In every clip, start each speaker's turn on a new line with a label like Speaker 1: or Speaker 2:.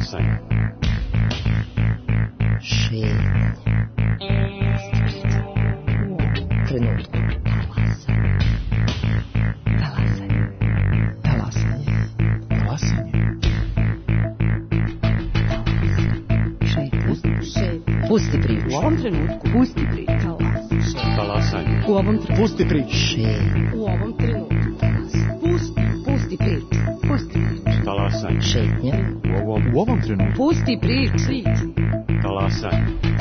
Speaker 1: Talasanje.
Speaker 2: Šetnje. Trenutku. Talasanje. Talasanje.
Speaker 1: Talasanje.
Speaker 2: Šetnje. Pusti priču.
Speaker 3: U ovom trenutku. Pusti priču.
Speaker 1: Talasanje.
Speaker 3: U ovom trenutku.
Speaker 1: Pusti priču.
Speaker 2: Šetnje.
Speaker 3: U ovom trenutku. Pusti priču. Pusti priču.
Speaker 1: Talasanje.
Speaker 2: Šetnje.
Speaker 1: U ovom trenutku.
Speaker 3: Pusti priču.
Speaker 1: Talasanje.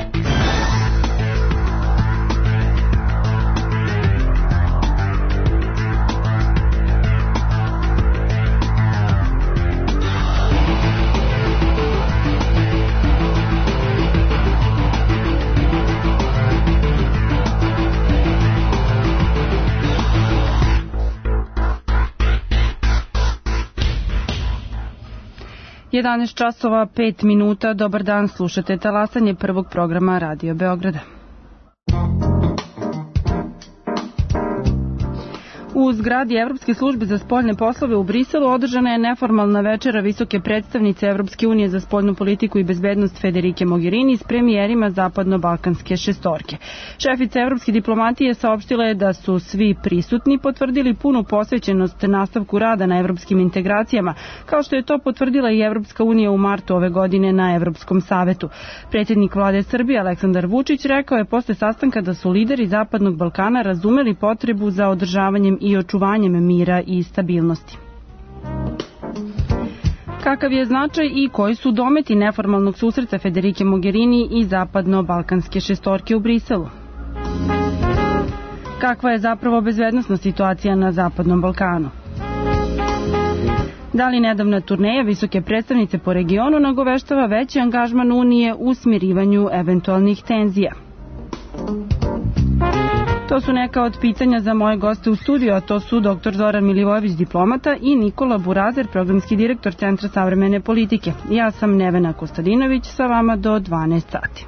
Speaker 4: Jedanaest časova 5 minuta. Dobar dan, slušate Talasanje prvog programa Radio Beograda. U zgradi Evropske službe za spoljne poslove u Briselu održana je neformalna večera visoke predstavnice Evropske unije za spoljnu politiku i bezbednost Federike Mogherini s premijerima zapadno-balkanske šestorke. Šefica evropske diplomatije saopštila je da su svi prisutni potvrdili punu posvećenost nastavku rada na evropskim integracijama, kao što je to potvrdila i Evropska unija u martu ove godine na Evropskom savetu. Predsjednik vlade Srbije Aleksandar Vučić rekao je posle sastanka da su lideri Zapadnog Balkana razumeli potrebu za održavanjem i očuvanjem mira i stabilnosti. Kakav je značaj i koji su dometi neformalnog susreta Federike Mogherini i zapadno-balkanske šestorke u Briselu? Kakva je zapravo bezbednosna situacija na Zapadnom Balkanu? Da li nedavna turneja visoke predstavnice po regionu nagoveštava veći angažman Unije u smirivanju eventualnih tenzija? To su neka od pitanja za moje goste u studiju, a to su dr. Zoran Milivojević, diplomata, i Nikola Burazer, programski direktor Centra savremene politike. Ja sam Nevena Kostadinović, sa vama do 12 sati.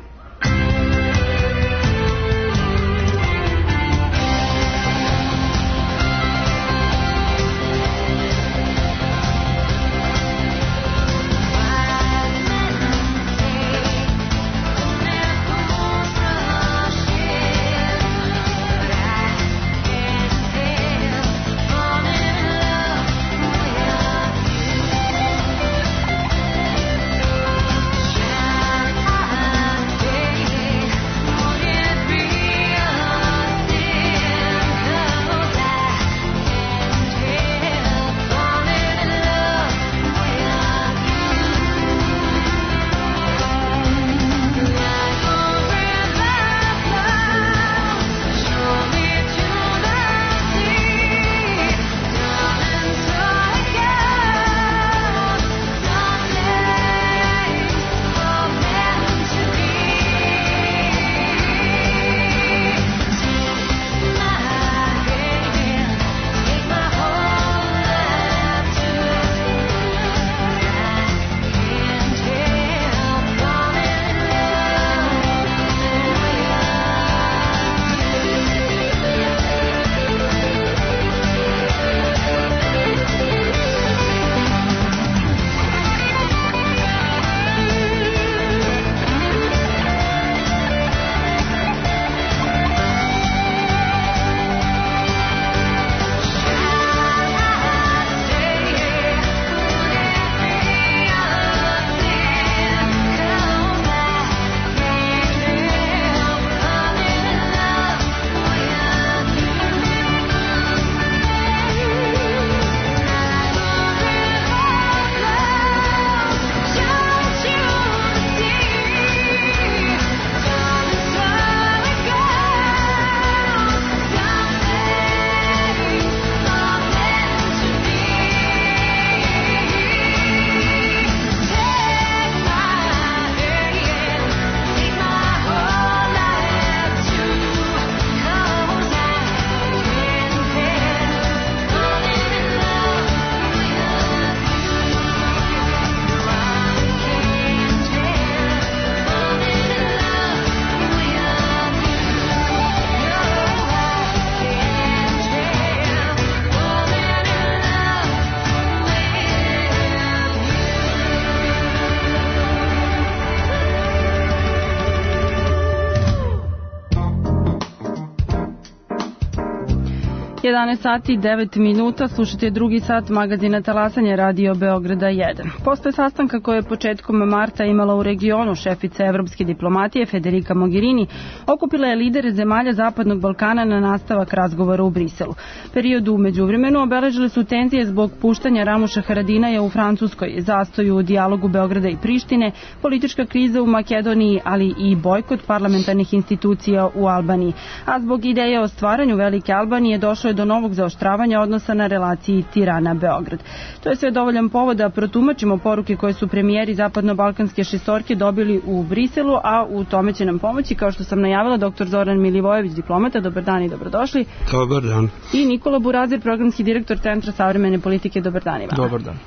Speaker 4: 11 sati i 9 minuta, slušate drugi sat magazina Talasanje Radio Beograda 1. Posle sastanka koje je početkom marta imala u regionu šefica evropske diplomatije Federica Mogherini, okupila je lidere zemalja Zapadnog Balkana na nastavak razgovora u Briselu. Period u međuvremenu obeležile su tenzije zbog puštanja Ramuša Haradinaja u Francuskoj, zastoju u dijalogu Beograda i Prištine, politička kriza u Makedoniji, ali i bojkot parlamentarnih institucija u Albaniji. A zbog ideje o stvaranju Velike Albanije došlo je do novog zaoštravanja odnosa na relaciji Tirana-Beograd. To je sve dovoljan povod da protumačimo poruke koje su premijeri Zapadno-Balkanske šestorke dobili u Briselu, a u tome će nam pomoći, kao što sam najavila, dr. Zoran Milivojević, diplomata. Dobar dan i dobrodošli.
Speaker 5: Dobar dan.
Speaker 4: I Nikola Burazir, programski direktor Centra savremene politike. Dobar dan i vama.
Speaker 5: Dobar dan.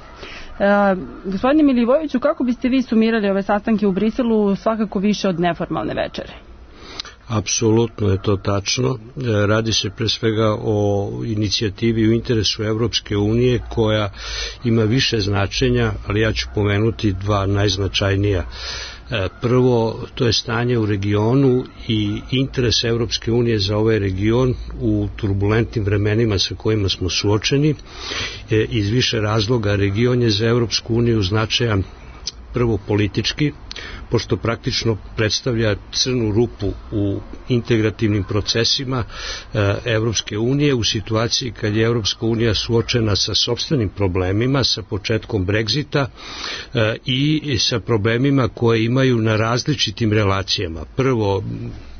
Speaker 4: Gospodine Milivojeviću, kako biste vi sumirali ove sastanke u Briselu, svakako više od neformalne večere?
Speaker 5: Apsolutno je to tačno. Radi se pre svega o inicijativi u interesu Evropske unije koja ima više značenja, ali ja ću pomenuti dva najznačajnija. Prvo, to je stanje u regionu i interes Evropske unije za ovaj region u turbulentnim vremenima sa kojima smo suočeni. Iz više razloga region je za Evropsku uniju značajan prvo politički, pošto praktično predstavlja crnu rupu u integrativnim procesima Evropske unije u situaciji kad je Evropska unija suočena sa sopstvenim problemima, sa početkom Brexita i sa problemima koje imaju na različitim relacijama. Prvo,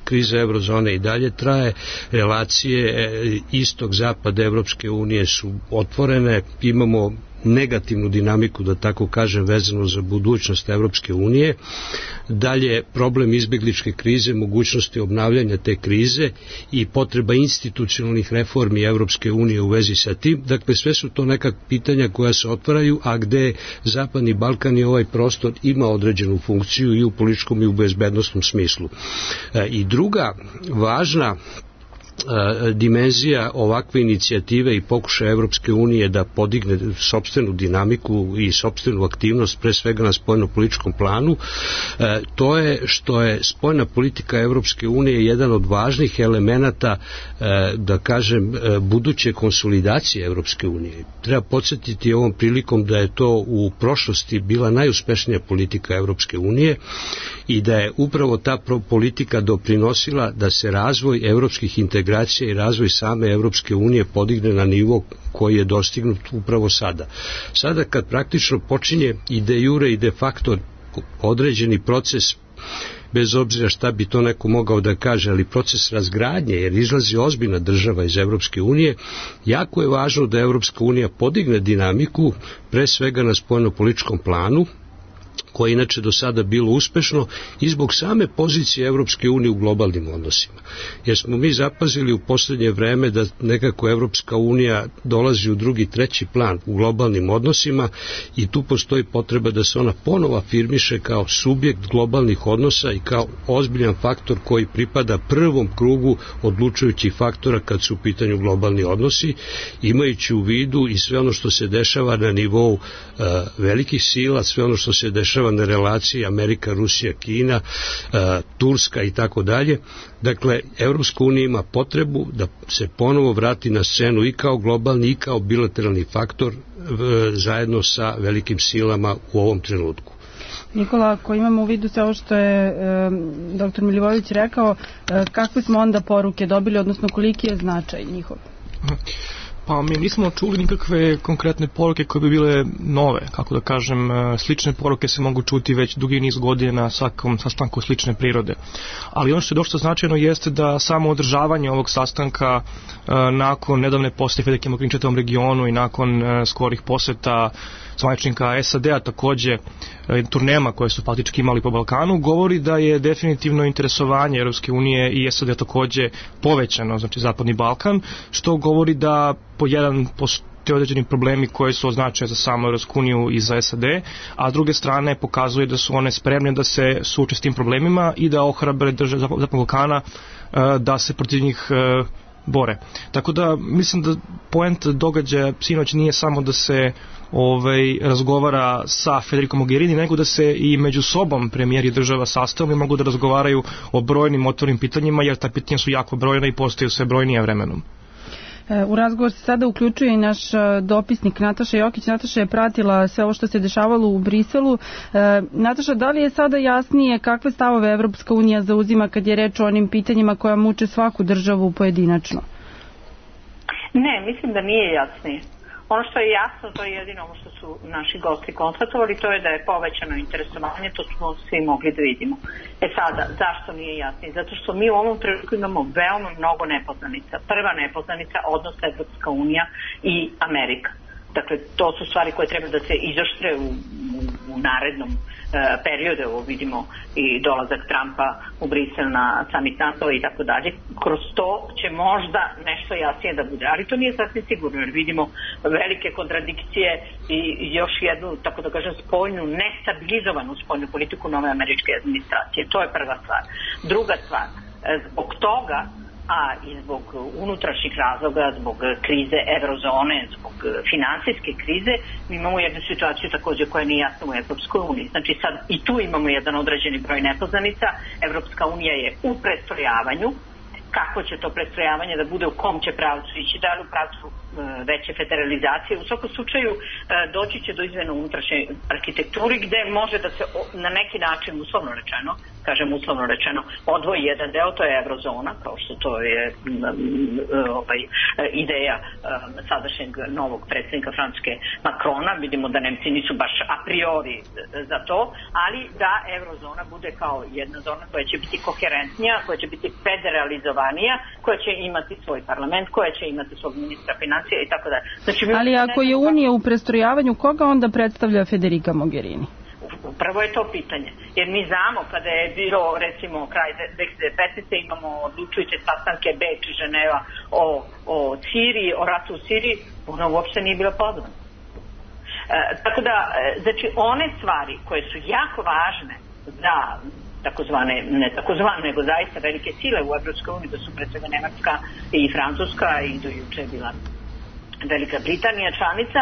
Speaker 5: kriza eurozone i dalje traje, relacije istok-zapad Evropske unije su otvorene, imamo negativnu dinamiku, da tako kažem, vezano za budućnost Evropske unije. Dalje, problem izbegličke krize, mogućnosti obnavljanja te krize i potreba institucionalnih reformi Evropske unije u vezi sa tim. Dakle, sve su to neka pitanja koja se otvaraju, a gde Zapadni Balkan i ovaj prostor ima određenu funkciju i u političkom i u bezbednostnom smislu. I druga važna dimenzija ovakve inicijative i pokušaja Evropske unije da podigne sopstvenu dinamiku i sopstvenu aktivnost, pre svega na spoljnopolitičkom planu, to je što je spoljna politika Evropske unije jedan od važnih elemenata, da kažem, buduće konsolidacije Evropske unije. Treba podsjetiti ovom prilikom da je to u prošlosti bila najuspešnija politika Evropske unije i da je upravo ta politika doprinosila da se razvoj evropskih integracija i razvoj same Evropske unije podigne na nivo koji je dostignut upravo sada. Sada kad praktično počinje i de jure i de facto određeni proces, bez obzira šta bi to neko mogao da kaže, ali proces razgradnje, jer izlazi ozbiljna država iz Evropske unije, jako je važno da Evropska unija podigne dinamiku, pre svega na spoljnopolitičkom planu, koje je inače do sada bilo uspešno i zbog same pozicije Evropske unije u globalnim odnosima. Jer smo mi zapazili u poslednje vreme da nekako Evropska unija dolazi u drugi, treći plan u globalnim odnosima i tu postoji potreba da se ona ponovo afirmiše kao subjekt globalnih odnosa i kao ozbiljan faktor koji pripada prvom krugu odlučujućih faktora kad su u pitanju globalni odnosi, imajući u vidu i sve ono što se dešava na nivou velikih sila, sve ono što se dešava na relaciji Amerika, Rusija, Kina, Turska i tako dalje. Dakle, Evropska unija ima potrebu da se ponovo vrati na scenu i kao globalni i kao bilateralni faktor zajedno sa velikim silama u ovom trenutku.
Speaker 4: Nikola, ako imamo u vidu sve ovo što je dr. Milivojević rekao, kakve smo onda poruke dobili, odnosno koliki je značaj njihov?
Speaker 6: Pa mi nismo čuli nikakve konkretne poruke koje bi bile nove, kako da kažem, slične poruke se mogu čuti već dugi niz godina na svakom sastanku slične prirode. Ali ono što je dosta značajno jeste da samo održavanje ovog sastanka nakon nedavne posete Federice Mogherini čitavom regionu i nakon skorih poseta zvaničnika SAD-a, takođe turnema koje su faktički imali po Balkanu, govori da je definitivno interesovanje Europske unije i SAD-a takođe povećano, znači Zapadni Balkan, što govori da postoje određeni problemi koji su označeni za samu Europsku uniju i za SAD, a s druge strane pokazuje da su one spremne da se suoče s tim problemima i da ohrabre države Zapadnog Balkana da se protiv njih bore. Tako da mislim da poent događaja sinoć nije samo da se razgovara sa Federicom Mogherini, nego da se i među sobom premijeri država sastavljaju i mogu da razgovaraju o brojnim otvornim pitanjima, jer ta pitanja su jako brojna i postaju sve brojnija vremenom.
Speaker 4: U razgovor se sada uključuje i naš dopisnik Nataša Jokić. Nataša je pratila sve ovo što se dešavalo u Briselu. Nataša, da li je sada jasnije kakve stavove Evropska unija zauzima kad je reč o onim pitanjima koja muče svaku državu pojedinačno?
Speaker 7: Ne, mislim da nije jasnije. Ono što je jasno, to je jedino ono što su naši gosti konstatovali, to je da je povećano interesovanje, to smo svi mogli da vidimo. Sada, zašto nije jasnije? Zato što mi u ovom trenutku imamo veoma mnogo nepoznanica. Prva nepoznanica, odnos Evropska unija i Amerika. Dakle, to su stvari koje treba da se izoštre u narednom periodu. Evo vidimo i dolazak Trumpa u Brisel na summit NATO i tako dalje. Kroz to će možda nešto jasnije da bude, ali to nije sasvim sigurno, jer vidimo velike kontradikcije i još jednu, tako da kažem, spoljnu, nestabilizovanu spoljnu politiku nove američke administracije. To je prva stvar. Druga stvar, zbog toga, a i zbog unutrašnjih razloga, zbog krize eurozone, zbog finansijske krize, mi imamo jednu situaciju također koja nije jasna u Evropskoj uniji. Znači sad i tu imamo jedan određeni broj nepoznanica. Evropska unija je u prestrojavanju. Kako će to prestrojavanje da bude, u kom će pravcu ići, da li u pravcu veće federalizacije. U svakom slučaju doći će do izmjena unutrašnje arhitekturi gde može da se na neki način, uslovno rečeno, odvoji jedan deo, to je eurozona, kao što to je ideja sadašnjeg novog predsjednika Francuske Macrona. Vidimo da Nemci nisu baš a priori za to, ali da eurozona bude kao jedna zona koja će biti koherentnija, koja će biti federalizovanija, koja će imati svoj parlament, koja će imati svog ministra financija i tako dalje. Znači,
Speaker 4: ali ako je Unija u prestrojavanju, koga onda predstavlja Federica Mogherini?
Speaker 7: Upravo je to pitanje. Jer mi znamo kada je bilo, recimo, kraj 2015. imamo odlučujuće sastanke Beč i Ženeva o Siriji, o ratu u Siriji, ona uopšte nije bila pozvana. Tako da, znači, one stvari koje su jako važne za ne takozvane, nego zaista velike sile u Evropskoj uniji, da su pre svega Nemačka i Francuska i do juče je bila Velika Britanija članica,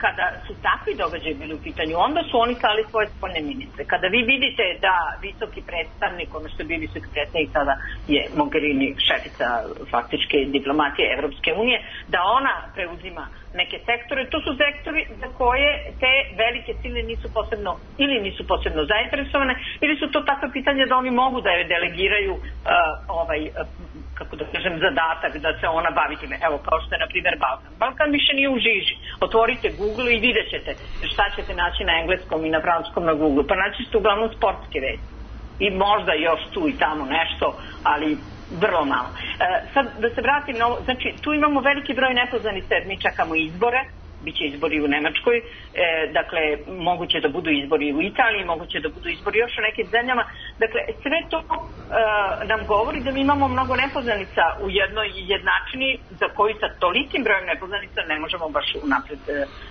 Speaker 7: kada su takvi događaji bili u pitanju, onda su oni slali svoje spoljne ministre. Kada vi vidite da visoki predstavnik, ono što je bio visoki predstavnik, sada je Mogherini šefica faktičke diplomatije Evropske unije, da ona preuzima neke sektore, to su sektori za koje te velike sile nisu posebno zainteresovane, ili su to takve pitanja da oni mogu da je delegiraju kako da kažem, zadatak da se ona bavi time. Evo, kao što je, na primjer, Balkan. Balkan više nije u žiži. Otvorite Google i vidjet ćete šta ćete naći na engleskom i na francuskom na Google. Pa naći ćete uglavnom sportske vesti. I možda još tu i tamo nešto, ali vrlo malo. Sad, da se vratim na ovo, znači, tu imamo veliki broj nepoznanica jer mi čekamo izbore. Biće izbori u Nemačkoj, dakle, moguće da budu izbori u Italiji, moguće da budu izbori još u nekim zemljama. Dakle, sve to nam govori da mi imamo mnogo nepoznanica u jednoj jednačini za koju sa tolikim brojem nepoznanica ne možemo baš unapred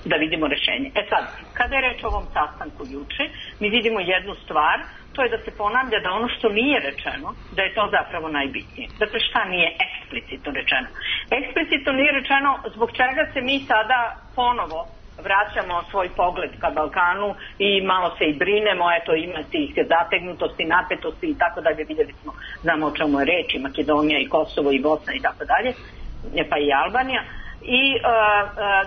Speaker 7: da vidimo rešenje. Sad, kada je reč o ovom sastanku juče, mi vidimo jednu stvar, to je da se ponavlja da ono što nije rečeno, da je to zapravo najbitnije. Dakle, šta nije eksplicitno rečeno? Eksplicitno nije rečeno zbog čega se mi sada ponovo vraćamo svoj pogled ka Balkanu i malo se i brinemo, eto ima tih zategnutosti, napetosti i tako dalje, vidjeli smo, znamo o čemu je reč, i Makedonija i Kosovo i Bosna i tako dalje, pa i Albanija. I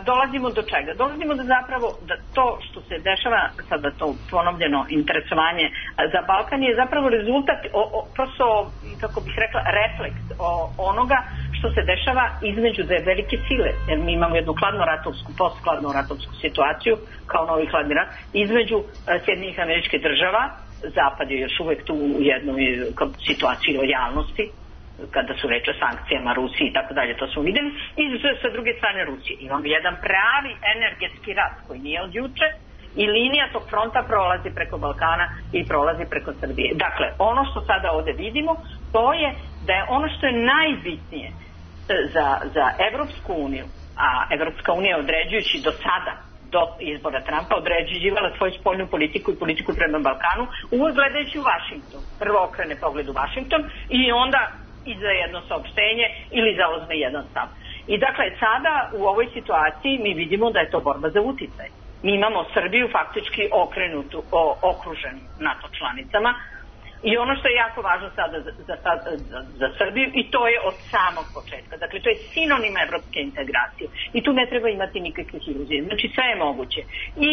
Speaker 7: dolazimo do čega? Dolazimo do zapravo da to što se dešava, sada to ponovljeno interesovanje za Balkan je zapravo rezultat, prosto, kako bih rekla, refleks onoga što se dešava između dve velike sile. Jer mi imamo jednu hladnoratovsku, posthladnoratovsku situaciju, kao novi hladni rat, između Sjedinjenih Američkih Država. Zapad je još uvek tu u jednoj situaciji lojalnosti, kada su reč o sankcijama Rusiji i tako dalje, to smo vidjeli, i sa druge strane Rusije. Imamo jedan pravi energetski rat koji nije od juče i linija tog fronta prolazi preko Balkana i prolazi preko Srbije. Dakle, ono što sada ovde vidimo, to je da je ono što je najbitnije za Evropsku uniju, a Evropska unija određujući do sada, do izbora Trumpa, određivala svoju spoljnu politiku i politiku prema Balkanu, uvijek gledajući u Vašington. Prvo okrene pogled u Vašington i onda iza jedno saopštenje ili zauzme jedan stav. I dakle, sada u ovoj situaciji mi vidimo da je to borba za uticaj. Mi imamo Srbiju faktički okruženu NATO članicama, I ono što je jako važno sada za Srbiju, i to je od samog početka. Dakle, to je sinonim evropske integracije. I tu ne treba imati nikakvih iluzija. Znači, sve je moguće. I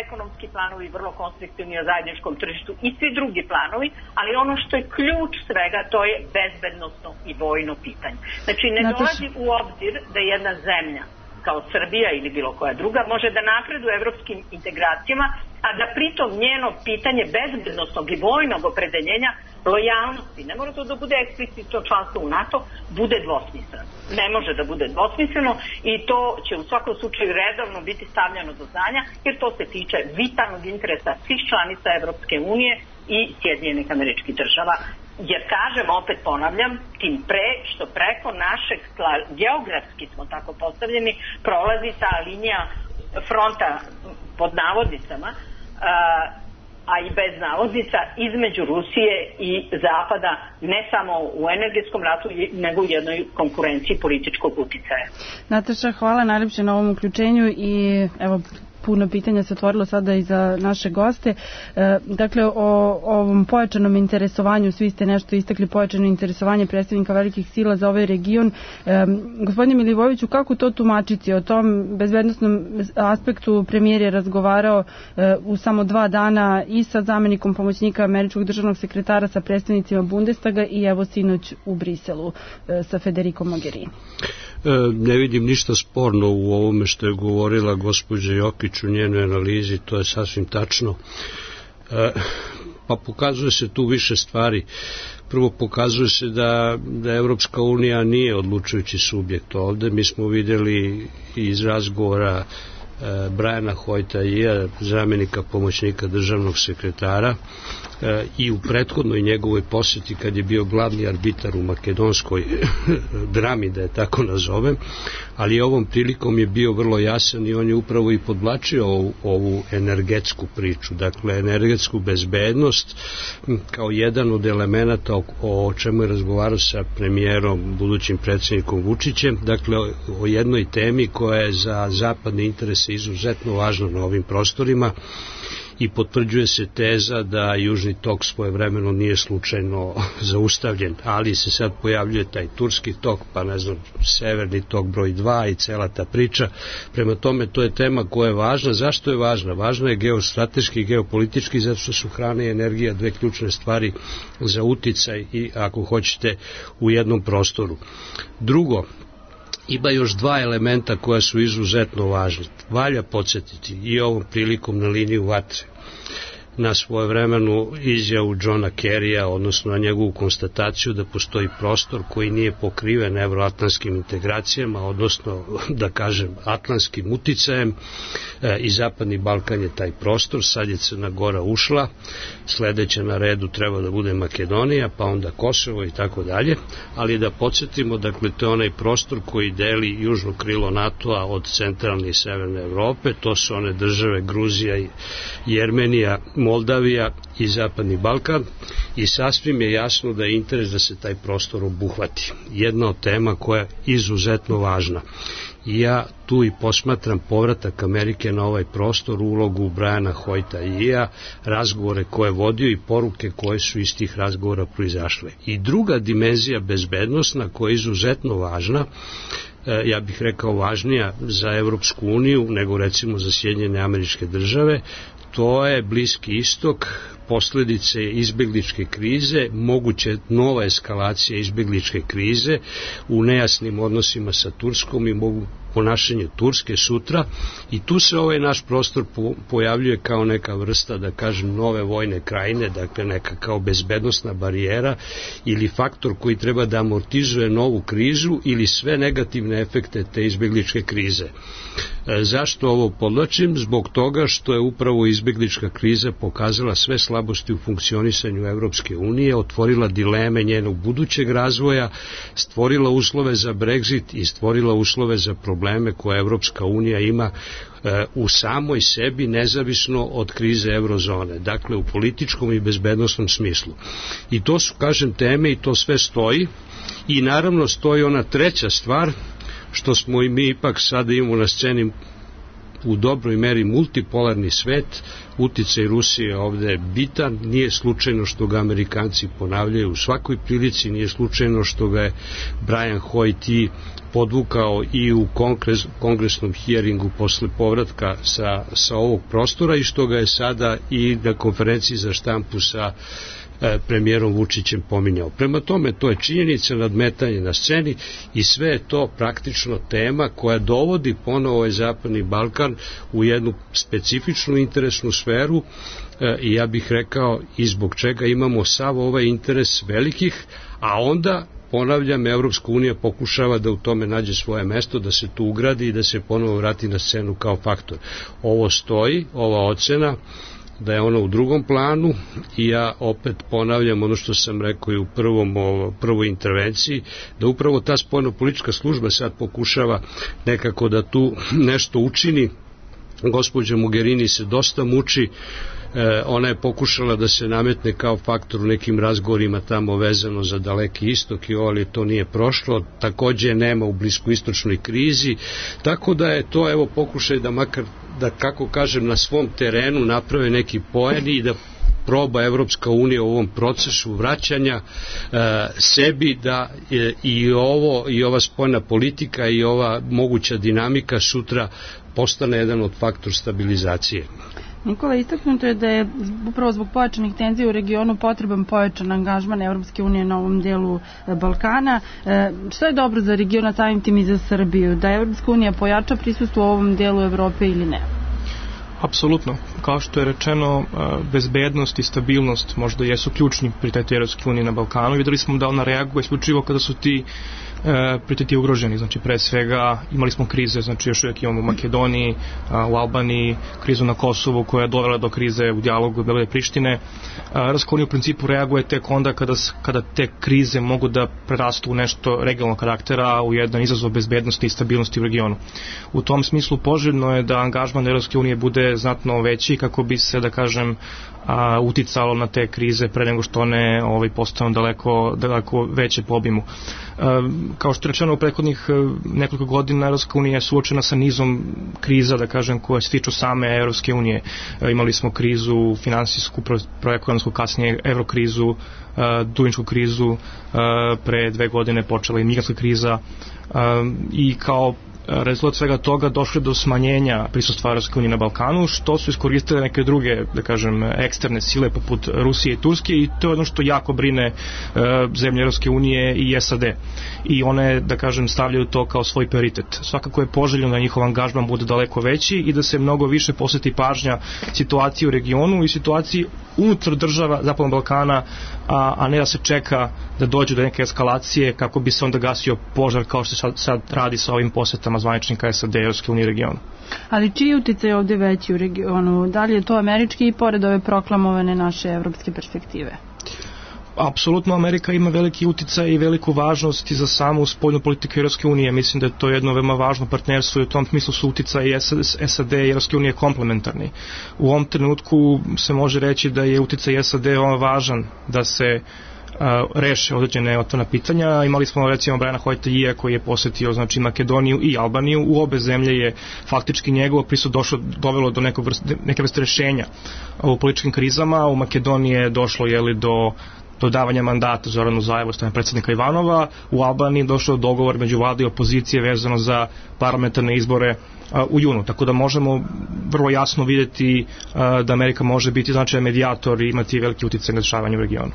Speaker 7: ekonomski planovi, vrlo konstruktivni o zajedničkom tržištu i svi drugi planovi, ali ono što je ključ svega, to je bezbednosno i vojno pitanje. Znači, ne dolazi u obzir da jedna zemlja kao Srbija ili bilo koja druga može da napreduje u evropskim integracijama, a da pritom njeno pitanje bezbednosnog i vojnog opredeljenja, lojalnosti, ne mora to da bude eksplicitno članstvo u NATO, bude dvosmisleno. Ne može da bude dvosmisleno i to će u svakom slučaju redovno biti stavljeno do znanja, jer to se tiče vitalnog interesa svih članica Evropske unije i Sjedinjenih Američkih Država. Jer kažem, opet ponavljam, tim pre što preko našeg tla, geografski smo tako postavljeni, prolazi ta linija fronta pod navodnicama, a i bez navodnica, između Rusije i Zapada, ne samo u energetskom ratu, nego u jednoj konkurenciji političkog uticaja.
Speaker 4: Nataša, hvala najljepše na ovom uključenju i evo, puno pitanja se otvorilo sada i za naše goste. Dakle, o ovom pojačanom interesovanju, svi ste nešto istakli, pojačano interesovanje predstavnika velikih sila za ovaj region. Gospodine Milivojeviću, kako to tumačiti? O tom bezbednosnom aspektu premijer je razgovarao u samo 2 dana i sa zamenikom pomoćnika američkog državnog sekretara, sa predstavnicima Bundestaga i evo sinoć u Briselu sa Federikom Mogherini.
Speaker 5: Ne vidim ništa sporno u ovome što je govorila gospođa Jokić u njenoj analizi, to je sasvim tačno. Pa pokazuje se tu više stvari. Prvo, pokazuje se da Evropska unija nije odlučujući subjekt ovde. Mi smo vidjeli iz razgovora Briana Hoyta, zamjenika pomoćnika državnog sekretara, i u prethodnoj njegovoj posjeti kad je bio glavni arbitar u makedonskoj drami, da je tako nazovem, ali ovom prilikom je bio vrlo jasan i on je upravo i podvlačio ovu energetsku priču, dakle energetsku bezbednost kao jedan od elemenata o čemu je razgovarao sa premijerom, budućim predsjednikom Vučićem, dakle o jednoj temi koja je za zapadne interese izuzetno važna na ovim prostorima. I potvrđuje se teza da Južni tok svojevremeno nije slučajno zaustavljen, ali se sad pojavljuje taj Turski tok, pa ne znam, Severni tok broj 2 i cela ta priča. Prema tome, to je tema koja je važna. Zašto je važna? Važna je geostrateški i geopolitički, zato što su hrana i energija dve ključne stvari za uticaj i, ako hoćete, u jednom prostoru. Drugo, ima još 2 elementa koja su izuzetno važni. Valja podsjetiti i ovom prilikom na liniju vatre, na svojevremenu izjavu Johna Kerrya, odnosno na njegovu konstataciju da postoji prostor koji nije pokriven evroatlantskim integracijama, odnosno, da kažem, atlantskim uticajem, i Zapadni Balkan je taj prostor. Sad je Crna Gora ušla, sledeća na redu treba da bude Makedonija, pa onda Kosovo i tako dalje, ali da podsjetimo, dakle, to je onaj prostor koji deli južno krilo NATO-a od centralne i severne Evrope, to su one države Gruzija i Jermenija, Moldavija i Zapadni Balkan, i sasvim je jasno da je interes da se taj prostor obuhvati. Jedna od tema koja je izuzetno važna. Ja tu i posmatram povratak Amerike na ovaj prostor, ulogu Briana Hoyta, razgovore koje je vodio i poruke koje su iz tih razgovora proizašle. I druga dimenzija bezbednostna koja je izuzetno važna, ja bih rekao važnija za Evropsku uniju nego recimo za Sjedinjene Američke Države, to je Bliski istok, posledice izbegličke krize, moguće nova eskalacija izbegličke krize u nejasnim odnosima sa Turskom i mogu ponašanje Turske sutra, i tu se ovaj naš prostor pojavljuje kao neka vrsta, da kažem, nove vojne krajine, dakle neka kao bezbednosna barijera ili faktor koji treba da amortizuje novu krizu ili sve negativne efekte te izbegličke krize. Zašto ovo podlačim? Zbog toga što je upravo izbeglička kriza pokazala sve slabosti u funkcionisanju Evropske unije, otvorila dileme njenog budućeg razvoja, stvorila uslove za Brexit i stvorila uslove za probleme koje Evropska unija ima u samoj sebi, nezavisno od krize eurozone, dakle u političkom i bezbednosnom smislu. I to su, kažem, teme i to sve stoji, i naravno stoji ona treća stvar, što smo i mi ipak sada imamo na sceni u dobroj meri multipolarni svet, uticaj Rusije je ovde bitan, nije slučajno što ga Amerikanci ponavljaju u svakoj prilici, nije slučajno što ga je Brian Hoyt podvukao i u kongresnom hearingu posle povratka sa ovog prostora i što ga je sada i na konferenciji za štampu sa premijerom Vučićem pominjao. Prema tome, to je činjenica, nadmetanje na sceni i sve je to praktično tema koja dovodi ponovo ovaj Zapadni Balkan u jednu specifičnu interesnu sferu i ja bih rekao i zbog čega imamo sav ovaj interes velikih, a onda ponavljam, Evropska unija pokušava da u tome nađe svoje mesto, da se tu ugradi i da se ponovo vrati na scenu kao faktor. Ovo stoji, ova ocena, da je ona u drugom planu i ja opet ponavljam ono što sam rekao i u prvoj intervenciji, da upravo ta spoljnopolitička služba sad pokušava nekako da tu nešto učini. Gospođa Mogherini se dosta muči, ona je pokušala da se nametne kao faktor u nekim razgovorima tamo vezano za Daleki istok, ali to nije prošlo, takođe nema u bliskoistočnoj krizi, tako da je to evo pokušaj da makar, da kako kažem, na svom terenu naprave neki poen i da proba Evropska unija u ovom procesu vraćanja sebi da i ova spoljna politika i ova moguća dinamika sutra postane jedan od faktor stabilizacije.
Speaker 4: Nikola, istaknuto je da je upravo zbog pojačanih tenzija u regionu potreban pojačan angažman Evropske unije na ovom delu Balkana. Što je dobro za region, a samim tim i za Srbiju? Da Evropska unija pojača prisustvo u ovom delu Evrope ili ne?
Speaker 6: Apsolutno. Kao što je rečeno, bezbednost i stabilnost možda jesu ključni prioriteti Evropske unije na Balkanu. Videli smo da ona reaguje isključivo kada su ti prioriteti ugroženi. Znači, pre svega imali smo krize, znači još uvijek imamo u Makedoniji, u Albaniji, krizu na Kosovu koja je dovela do krize u dijalogu Beograda i Prištine. Evropska unija u principu reaguje tek onda kada te krize mogu da prerastu u nešto regionalnog karaktera, u jedan izazov bezbednosti i stabilnosti u regionu. U tom smislu poželjno je da angažman Evropske unije bude znatno veći kako bi se, da kažem, uticalo na te krize pre nego što one postanu daleko veće po obimu. Kao što je rečeno u prethodnih nekoliko godina, Evropska unija je suočena sa nizom kriza, da kažem, koje se tiču same Evropske unije. Imali smo krizu finansijsku, proekonomsku, kasnije evrokrizu, dužničku krizu, pre 2 godine počela i migrantska kriza i kao rezultat svega toga došlo do smanjenja prisustva Evropske unije na Balkanu, što su iskoristile neke druge, da kažem, eksterne sile poput Rusije i Turske i to je ono što jako brine zemlje Evropske unije i SAD. I one, da kažem, stavljaju to kao svoj prioritet. Svakako je poželjno da njihov angažman bude daleko veći i da se mnogo više posveti pažnja situaciji u regionu i situaciji unutar država Zapadnog Balkana, a ne da se čeka da dođe do neke eskalacije kako bi se onda gasio požar kao što se sad radi sa ovim posetama zvaničnika SAD i Evropske unije regionu.
Speaker 4: Ali čiji uticaj je ovde veći u regionu? Da li je to američki i pored ove proklamovane naše evropske perspektive?
Speaker 6: Apsolutno, Amerika ima veliki uticaj i veliku važnost i za samu spoljnu politiku Evropske unije. Mislim da je to jedno veoma važno partnerstvo i u tom smislu su uticaj SAD i Evropske unije komplementarni. U ovom trenutku se može reći da je uticaj SAD veoma važan da se reše određene otvorena pitanja. Imali smo recimo Briana Hoyta koji je posetio, znači, Makedoniju i Albaniju. U obe zemlje je faktički njegovo prisustvo dovelo do neke vrste rešenja u političkim krizama. U Makedoniji je došlo do davanja mandata Zoranu Zajevu, strane predsjednika Ivanova. U Albaniji je došlo do dogovor među vlade i opozicije vezano za parlamentarne izbore u junu. Tako da možemo vrlo jasno vidjeti da Amerika može biti značajan medijator i imati veliki uticaj na dešavanje u regionu.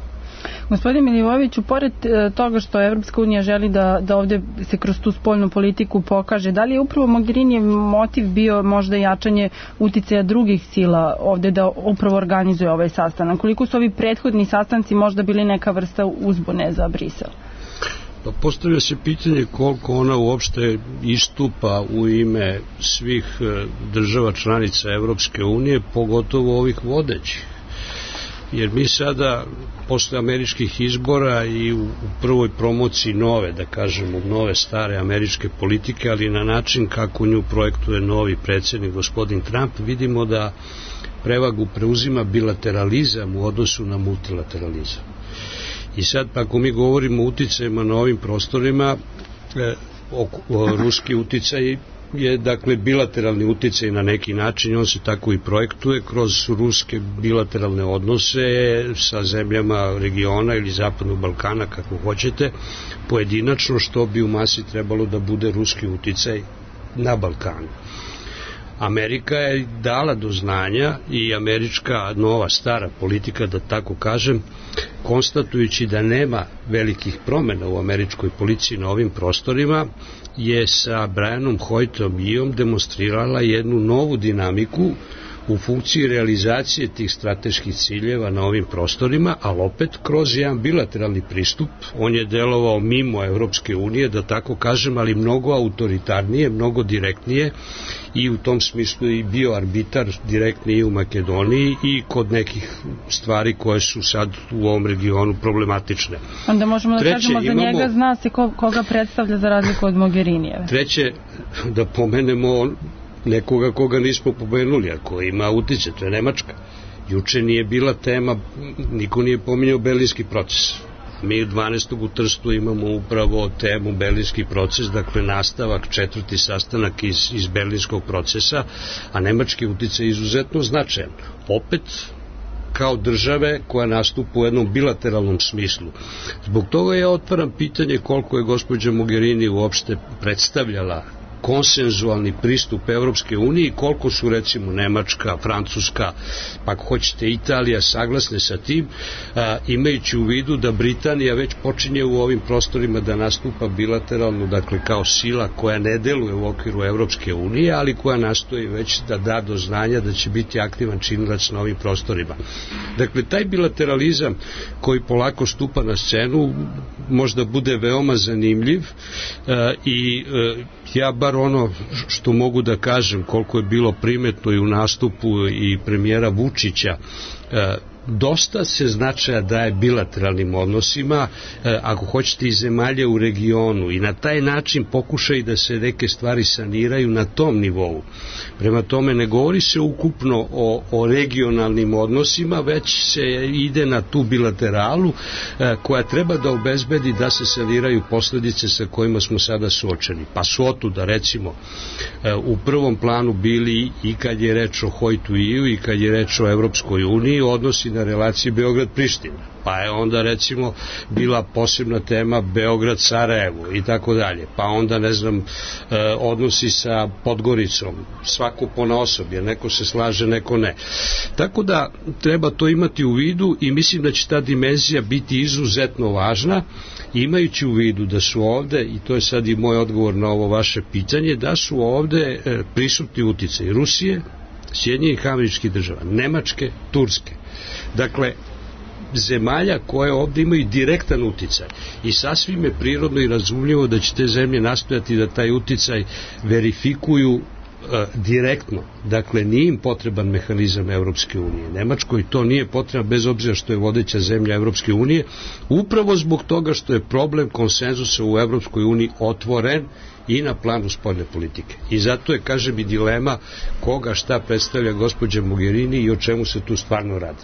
Speaker 4: Gospodin Milivojeviću, pored toga što Evropska unija želi da ovde se kroz tu spoljnu politiku pokaže, da li je upravo Mogherinijev motiv bio možda jačanje uticaja drugih sila ovde da upravo organizuje ovaj sastanak? Koliko su ovi prethodni sastanci možda bili neka vrsta uzbune za Brisel?
Speaker 5: Pa postavlja se pitanje koliko ona uopšte istupa u ime svih država članica Evropske unije, pogotovo ovih vodećih. Jer mi sada, posle američkih izbora i u prvoj promociji nove, da kažemo, nove stare američke politike, ali na način kako nju projektuje novi predsjednik, gospodin Trump, vidimo da prevagu preuzima bilateralizam u odnosu na multilateralizam. I sad, ako mi govorimo o uticajima na ovim prostorima, ruski uticaj je dakle bilateralni uticaj na neki način, on se tako i projektuje kroz ruske bilateralne odnose sa zemljama regiona ili Zapadnog Balkana, kako hoćete, pojedinačno, što bi u masi trebalo da bude ruski uticaj na Balkanu. Amerika je dala do znanja i američka nova stara politika, da tako kažem, konstatujući da nema velikih promena u američkoj policiji na ovim prostorima, je sa Brianom Hoyitom demonstrirala jednu novu dinamiku u funkciji realizacije tih strateških ciljeva na ovim prostorima, ali opet kroz jedan bilateralni pristup. On je delovao mimo Evropske unije, da tako kažem, ali mnogo autoritarnije, mnogo direktnije, i u tom smislu i bio arbitar direktni i u Makedoniji i kod nekih stvari koje su sad u ovom regionu problematične.
Speaker 4: Onda možemo da kažemo za njega, zna se koga predstavlja za razliku od Mogherinijeve.
Speaker 5: Treće, da pomenemo nekoga koga nismo pomenuli, a koji ima utice, to je Nemačka. Juče nije bila tema, niko nije pominjao Berlinski proces. Mi 12. u Trstu imamo upravo temu Berlinski proces, dakle nastavak, 4. sastanak iz Berlinskog procesa, a nemački uticaj je izuzetno značajan. Opet, kao države koja nastupa u jednom bilateralnom smislu. Zbog toga ja otvaram pitanje koliko je gospođa Mogherini uopšte predstavljala konsenzualni pristup Evropske unije i koliko su recimo Nemačka, Francuska, pa ako hoćete Italija saglasne sa tim, imajući u vidu da Britanija već počinje u ovim prostorima da nastupa bilateralno, dakle kao sila koja ne deluje u okviru Evropske unije, ali koja nastoji već da da do znanja da će biti aktivan činilac na ovim prostorima. Dakle, taj bilateralizam koji polako stupa na scenu možda bude veoma zanimljiv i ja bar ono što mogu da kažem, koliko je bilo primetno i u nastupu i premijera Vučića, dosta se značaja daje bilateralnim odnosima, ako hoćete i zemalje u regionu, i na taj način pokušaju da se neke stvari saniraju na tom nivou. Prema tome ne govori se ukupno o regionalnim odnosima, već se ide na tu bilateralu koja treba da obezbedi da se saniraju posledice sa kojima smo sada suočeni. Pa su otuda recimo u prvom planu bili i kad je reč o Hoytu i kad je reč o Evropskoj uniji odnosi na relaciji Beograd-Priština. Pa je onda recimo bila posebna tema Beograd-Sarajevo i tako dalje. Pa onda ne znam odnosi sa Podgoricom, svako ponaosob, jer neko se slaže, neko ne. Tako da treba to imati u vidu i mislim da će ta dimenzija biti izuzetno važna, imajući u vidu da su ovde, i to je sad i moj odgovor na ovo vaše pitanje, da su ovde prisutni uticaj Rusije, Sjedinjenih Američkih Država, Nemačke, Turske. Dakle, zemalja koje ovde imaju direktan uticaj i sasvim je prirodno i razumljivo da će te zemlje nastojati da taj uticaj verifikuju direktno. Dakle, nije im potreban mehanizam Evropske unije. Nemačkoj to nije potrebno, bez obzira što je vodeća zemlja Evropske unije, upravo zbog toga što je problem konsenzusa u Evropskoj uniji otvoren i na planu spoljne politike. I zato je, kažem, i dilema koga šta predstavlja gospođa Mogherini i o čemu se tu stvarno radi.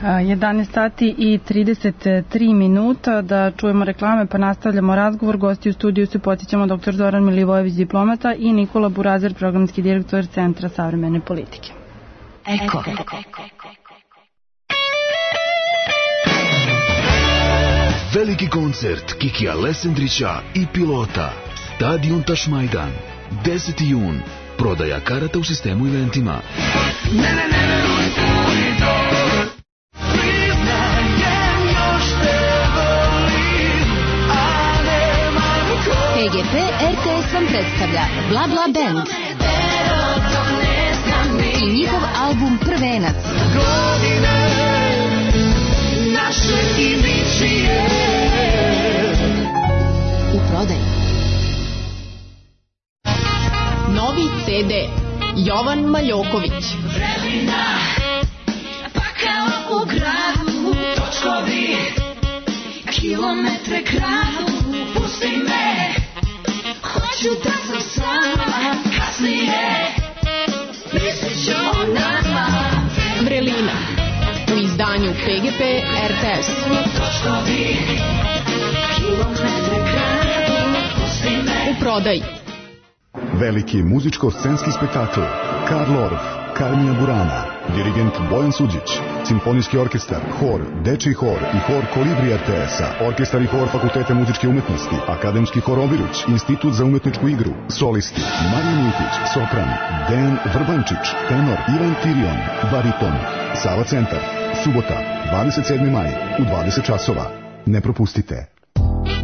Speaker 4: 11 sati i 33 minuta, da čujemo reklame pa nastavljamo razgovor. Gosti u studiju se podsjećamo dr. Zoran Milivojević, diplomata, i Nikola Burazer, programski direktor Centra savremene politike.
Speaker 3: Eko.
Speaker 8: Veliki koncert Kikija Lesendrića i Pilota. Stadion Tašmajdan. 10. jun. Prodaja karata u sistemu eventima.
Speaker 3: PGP RTS vam predstavlja Bla Bla Band i njihov album Prvenac. U prodaji.
Speaker 9: Novi CD Jovan Maljoković.
Speaker 10: Pa kao u gradu, točkovi, kilometre kradu, pusti me, hoću da sam sama, kasnije, mislit ću o nama.
Speaker 9: Vrelina u izdanju PGP RTS.
Speaker 10: Točkovi, kilometre kradu, pusti me.
Speaker 9: U prodaji.
Speaker 11: Veliki muzičko-scenski spektakl Karl Orff, Carmina Burana, dirigent Bojan Suđić, simfonijski orkestar, hor, dečiji hor i hor Kolibri RTS-a, orkestar i hor Fakulteta muzičke umetnosti, akademski hor Obiruć, Institut za umetničku igru, solisti Marija Mitić, sopran, Dejan Vrbančić, tenor Ivan Tirion, bariton, Sava centar, subota, 27. maj, u 20 časova. Ne propustite.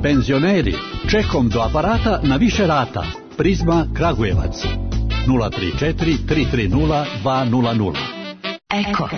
Speaker 12: Penzioneri, čekom do aparata na više rata. Prizma Kragujevac 034 330 200.
Speaker 10: Eko.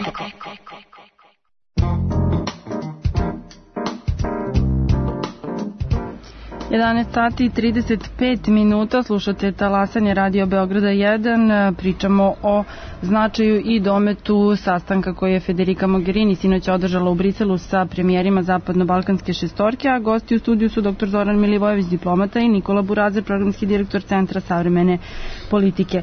Speaker 4: 11 sati i 35 minuta, slušate Talasanje Radio Beograda 1, pričamo o značaju i dometu sastanka koji je Federica Mogherini sinoć održala u Briselu sa premijerima Zapadno-Balkanske šestorke, a gosti u studiju su dr. Zoran Milivojević, diplomata, i Nikola Burazer, programski direktor Centra savremene politike.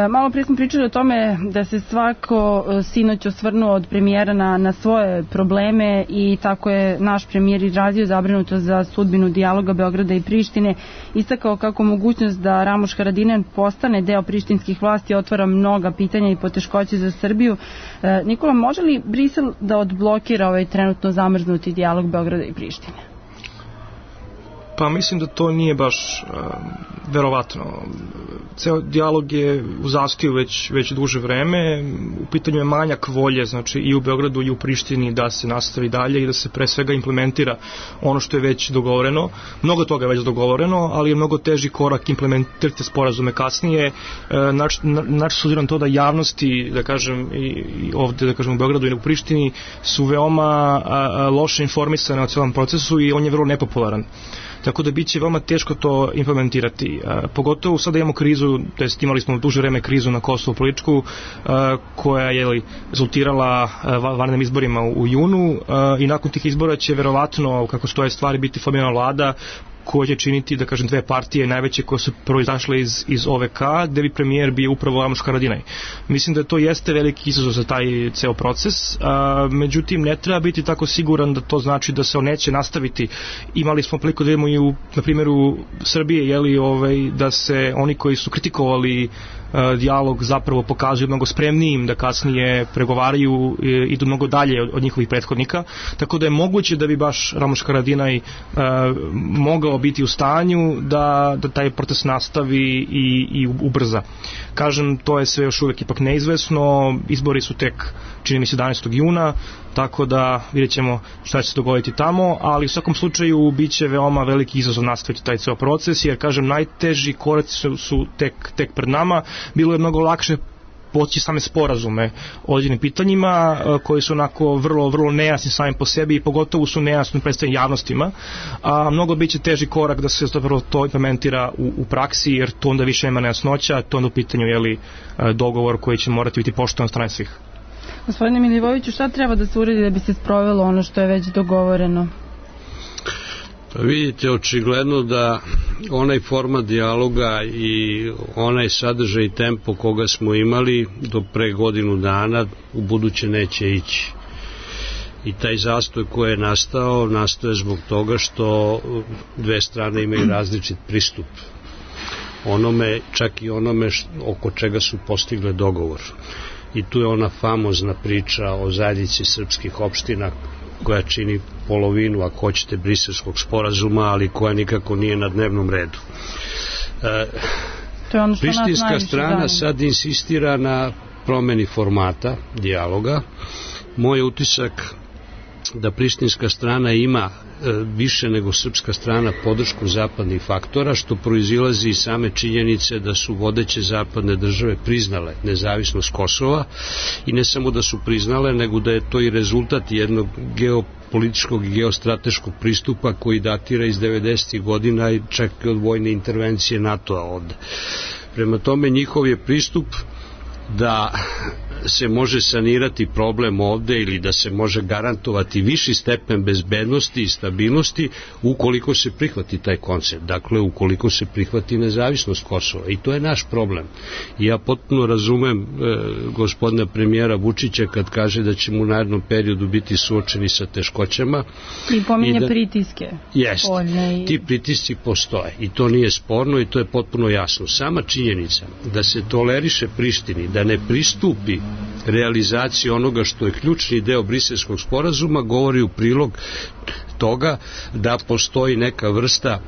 Speaker 4: Malo prije smo pričali o tome da se svako sinoć osvrnuo od premijera na svoje probleme i tako je naš premijer izrazio zabrinutost za sudbinu dijaloga Beograda i Prištine, istakao kako mogućnost da Ramuš Haradinaj postane deo prištinskih vlasti otvara mnoga pitanja i poteškoće za Srbiju. Nikola, može li Brisel da odblokira ovaj trenutno zamrznuti dijalog Beograda i Prištine?
Speaker 6: Pa mislim da to nije baš verovatno. Ceo dijalog je u zastoju već duže vreme. U pitanju je manjak volje, znači i u Beogradu i u Prištini da se nastavi dalje i da se pre svega implementira ono što je već dogovoreno. Mnogo toga je već dogovoreno, ali je mnogo teži korak implementirati sporazume kasnije. Znači, s obzirom to da javnosti, da kažem, i ovde, da kažem, u Beogradu i u Prištini su veoma loše informisane o celom procesu i on je vrlo nepopularan. Tako da biće veoma teško to implementirati. Pogotovo sada imamo krizu, to jest imali smo duže vreme krizu na Kosovu političku, koja je rezultirala vanrednim izborima u junu i nakon tih izbora će verovatno, kako stoje stvari, biti formirana vlada koja će činiti, da kažem, dve partije najveće koje su proizašle iz OVK, gde bi premijer bio upravo Ramuš Haradinaj. Mislim da to jeste veliki izazov za taj ceo proces, međutim ne treba biti tako siguran da to znači da se on neće nastaviti. Imali smo priliku da imamo i na primjeru Srbije, da se oni koji su kritikovali dijalog zapravo pokazuju mnogo spremnijim da kasnije pregovaraju, idu mnogo dalje od njihovih prethodnika, tako da je moguće da bi baš Ramuš Haradinaj mogao biti u stanju da taj proces nastavi i ubrza. Kažem, to je sve još uvek ipak neizvesno, izbori su tek, čini mi se, 11. juna, tako da vidjet ćemo šta će se dogoditi tamo, ali u svakom slučaju bit će veoma veliki izazov nastaviti taj ceo proces, jer, kažem, najteži koraci su tek pred nama. Bilo je mnogo lakše poći same sporazume o određenim pitanjima koji su onako vrlo nejasni sami po sebi i pogotovo su nejasni predstavljeni javnostima, a mnogo biće teži korak da se to implementira u praksi, jer to onda više nema nejasnoća, to onda u pitanju dogovor koji će morati biti poštovan od strane svih.
Speaker 4: Gospodine Milivojeviću, šta treba da se uredi da bi se sprovelo ono što je već dogovoreno?
Speaker 5: Pa vidite, očigledno da onaj format dijaloga i onaj sadržaj i tempo koga smo imali do pre godinu dana u buduće neće ići. I taj zastoj koji je nastao je zbog toga što dve strane imaju različit pristup onome, čak i onome oko čega su postigle dogovor. I tu je ona famozna priča o zajednici srpskih opština koja čini polovinu, ako hoćete, briselskog sporazuma, ali koja nikako nije na dnevnom redu. Prištinska strana sad insistira na promeni formata dijaloga. Moj utisak da prištinska strana ima više nego srpska strana podršku zapadnih faktora, što proizilazi iz same činjenice da su vodeće zapadne države priznale nezavisnost Kosova i ne samo da su priznale, nego da je to i rezultat jednog geopolitičkog i geostrateškog pristupa koji datira iz 90. godina i čak i od vojne intervencije NATO-a ovde. Prema tome, njihov je pristup da se može sanirati problem ovde ili da se može garantovati viši stepen bezbednosti i stabilnosti ukoliko se prihvati taj koncept. Dakle, ukoliko se prihvati nezavisnost Kosova. I to je naš problem. I ja potpuno razumem gospodina premijera Vučića kad kaže da ćemo u narednom periodu biti suočeni sa teškoćama.
Speaker 4: I pominje pritiske.
Speaker 5: Jest. Ti pritisci postoje. I to nije sporno i to je potpuno jasno. Sama činjenica da se toleriše Prištini, da ne pristupi realizaciji onoga što je ključni deo Briselskog sporazuma, govori u prilog toga da postoji neka vrsta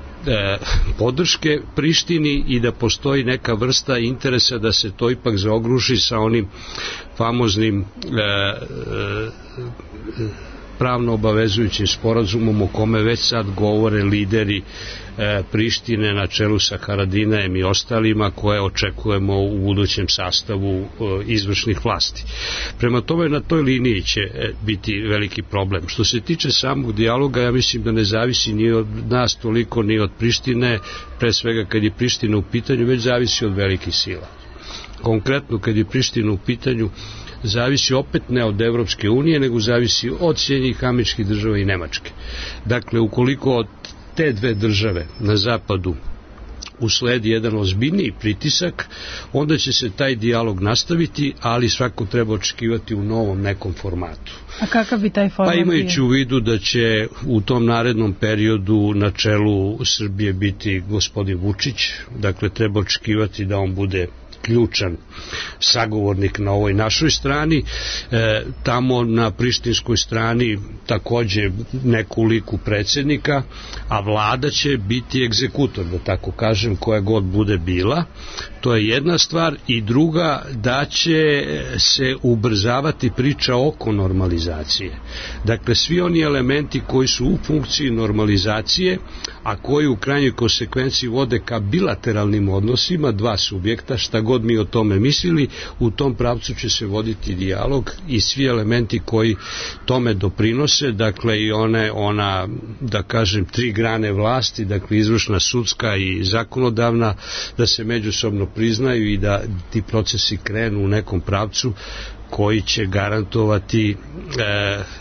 Speaker 5: podrške Prištini i da postoji neka vrsta interesa da se to ipak zaogruši sa onim famoznim pravno obavezujućim sporazumom o kome već sad govore lideri Prištine na čelu sa Haradinajem i ostalima koje očekujemo u budućem sastavu izvršnih vlasti. Prema tome na toj liniji će biti veliki problem. Što se tiče samog dijaloga, ja mislim da ne zavisi ni od nas toliko ni od Prištine, pre svega kad je Priština u pitanju, već zavisi od velikih sila. Konkretno kad je Priština u pitanju, zavisi opet ne od Evropske unije, nego zavisi od Sjedinjenih Američkih Država i Nemačke. Dakle, ukoliko od te dve države na zapadu usledi jedan ozbiljniji pritisak, onda će se taj dijalog nastaviti, ali svako treba očekivati u novom nekom formatu.
Speaker 4: A kakav bi taj format bio?
Speaker 5: Pa imajući u vidu da će u tom narednom periodu na čelu Srbije biti gospodin Vučić, dakle treba očekivati da on bude ključan sagovornik na ovoj našoj strani, tamo na prištinskoj strani takođe neku liku predsjednika, a vlada će biti egzekutor, da tako kažem, koja god bude bila. To je jedna stvar, i druga, da će se ubrzavati priča oko normalizacije. Dakle, svi oni elementi koji su u funkciji normalizacije, a koji u krajnjoj konsekvenciji vode ka bilateralnim odnosima dva subjekta, šta god mi o tome mislili, u tom pravcu će se voditi dijalog i svi elementi koji tome doprinose, dakle i ona, da kažem, tri grane vlasti, dakle izvršna, sudska i zakonodavna, da se međusobno priznaju i da ti procesi krenu u nekom pravcu koji će garantovati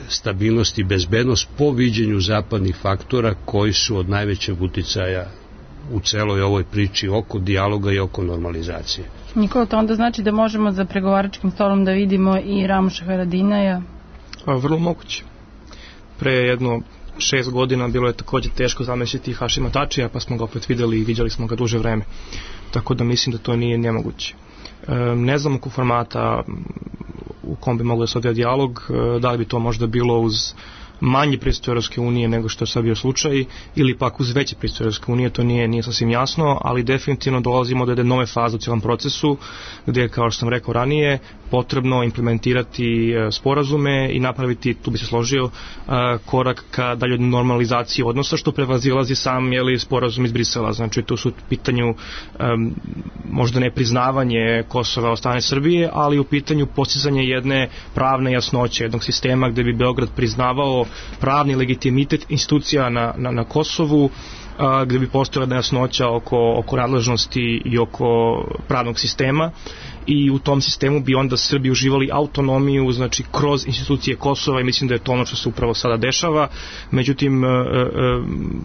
Speaker 5: stabilnost i bezbednost po viđenju zapadnih faktora koji su od najvećeg uticaja u celoj ovoj priči oko dijaloga i oko normalizacije.
Speaker 4: Nikola, to onda znači da možemo za pregovaračkim stolom da vidimo i Ramuša Haradinaja?
Speaker 6: Vrlo moguće. Pre jedno 6 godina bilo je takođe teško zamisliti Hašima Tačija, pa smo ga opet videli i viđali smo ga duže vreme. Tako da mislim da to nije nemoguće. Ne znam oko formata u kom bi moglo da se odvija dijalog, da li bi to možda bilo uz manji pristup Europske unije nego što je sad bio slučaj, ili pak uz veće pristup Europske unije, to nije sasvim jasno, ali definitivno dolazimo do jedne nove faze u cijelom procesu, gdje je, kao što sam rekao ranije, potrebno implementirati sporazume i napraviti, tu bi se složio, korak ka dalje normalizaciji odnosa, što prevazilazi sam sporazum iz Brisela. Znači, tu su u pitanju možda ne priznavanje Kosova od strane Srbije, ali u pitanju postizanje jedne pravne jasnoće, jednog sistema gde bi Beograd priznavao pravni legitimitet institucija na Kosovu, gde bi postojala nejasnoća oko nadležnosti i oko pravnog sistema, i u tom sistemu bi onda Srbi uživali autonomiju, znači kroz institucije Kosova, i mislim da je to ono što se upravo sada dešava. Međutim,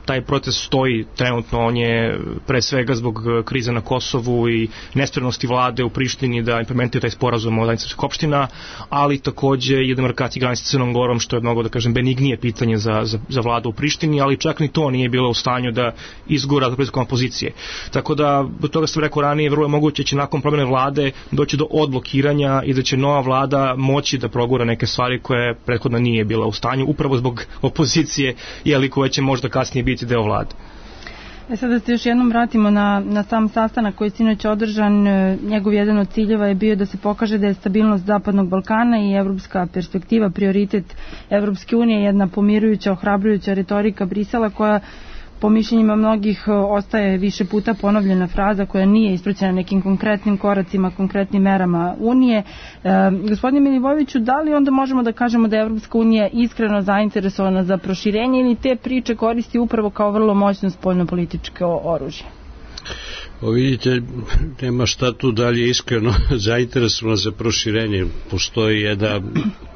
Speaker 6: taj proces stoji trenutno, on je pre svega zbog krize na Kosovu i nespremnosti vlade u Prištini da implementira taj sporazum o zajednici srpskih opština, ali takođe i demarkacija granice sa Crnom Gorom, što je mnogo, da kažem, benignije pitanje za vladu u Prištini, ali čak ni to nije bilo u stanju da izgura političkom opozicije. Tako da, do toga sam rekao ranije, vrlo je moguće će nakon promjene vlade doći do odblokiranja i da će nova vlada moći da progura neke stvari koje prethodno nije bila u stanju, upravo zbog opozicije, koja će možda kasnije biti deo vlade.
Speaker 4: Sad da se još jednom vratimo na sam sastanak koji je sinoć održan, njegov jedan od ciljeva je bio da se pokaže da je stabilnost Zapadnog Balkana i evropska perspektiva prioritet Evropske unije, jedna pomirujuća, ohrabrujuća retorika Brisela koja po mišljenjima mnogih ostaje više puta ponovljena fraza koja nije ispraćena nekim konkretnim koracima, konkretnim merama Unije. Gospodine Milivojeviću, da li onda možemo da kažemo da je Evropska unija iskreno zainteresovana za proširenje ili te priče koristi upravo kao vrlo moćno spoljnopolitičko oružje?
Speaker 5: Vidite, nema šta tu dalje iskreno zainteresovano za proširenje. Postoji jedna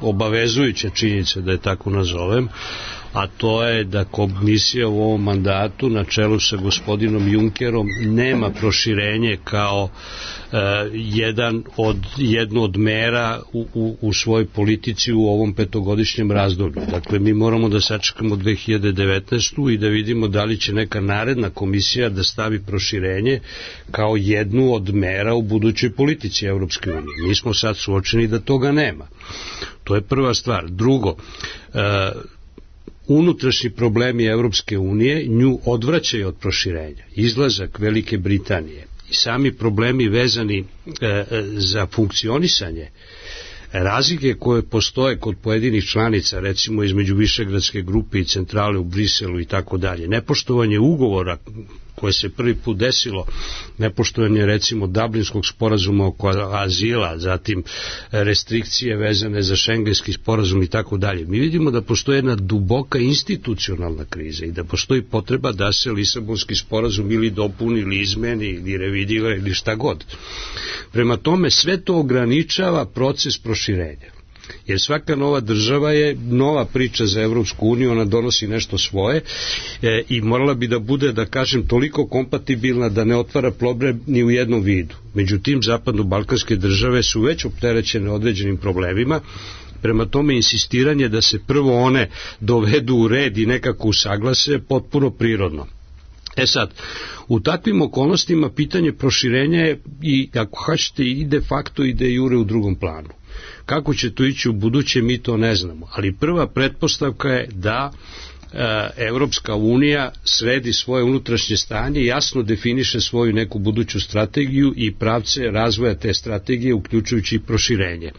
Speaker 5: obavezujuća činjenica, da je tako nazovem, a to je da komisija u ovom mandatu na čelu sa gospodinom Junckerom nema proširenje kao jednu od mera u svojoj politici u ovom petogodišnjem razdoblju. Dakle, mi moramo da sačekamo 2019. i da vidimo da li će neka naredna komisija da stavi proširenje kao jednu od mera u budućoj politici Evropske unije. Mi smo sad suočeni da toga nema. To je prva stvar. Drugo, unutrašnji problemi Evropske unije nju odvraćaju od proširenja. Izlazak Velike Britanije i sami problemi vezani za funkcionisanje, razlike koje postoje kod pojedinih članica, recimo između Višegradske grupe i centrale u Briselu i tako dalje, nepoštovanje ugovora koje se prvi put desilo, nepoštovanje recimo Dublinskog sporazuma oko azila, zatim restrikcije vezane za šengenski sporazum i tako dalje. Mi vidimo da postoje jedna duboka institucionalna kriza i da postoji potreba da se Lisabonski sporazum ili dopuni ili izmeni ili revidira ili šta god. Prema tome sve to ograničava proces proširenja. Jer svaka nova država je nova priča za Evropsku uniju, ona donosi nešto svoje i morala bi da bude, da kažem, toliko kompatibilna da ne otvara problem ni u jednom vidu. Međutim, zapadno-balkanske države su već opterećene određenim problemima, prema tome insistiranje da se prvo one dovedu u red i nekako usaglase potpuno prirodno. Sad, u takvim okolnostima pitanje proširenja je i, ako hoćete, i de facto i de jure u drugom planu. Kako će to ići u buduće, mi to ne znamo, ali prva pretpostavka je da Evropska unija sredi svoje unutrašnje stanje, jasno definiše svoju neku buduću strategiju i pravce razvoja te strategije, uključujući i proširenje.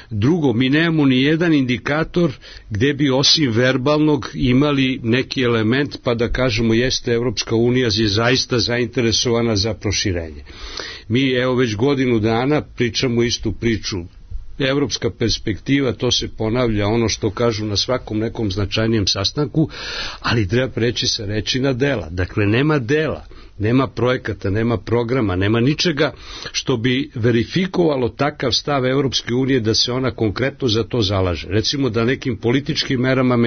Speaker 5: Drugo, mi nemamo ni jedan indikator gde bi osim verbalnog imali neki element pa da kažemo jeste Evropska unija je zaista zainteresovana za proširenje. Mi evo već godinu dana pričamo istu priču. Evropska perspektiva, to se ponavlja ono što kažu na svakom nekom značajnijem sastanku, ali treba preći sa reči na dela. Dakle, nema dela, nema projekata, nema programa, nema ničega što bi verifikovalo takav stav Evropske unije da se ona konkretno za to zalaže. Recimo da nekim političkim merama,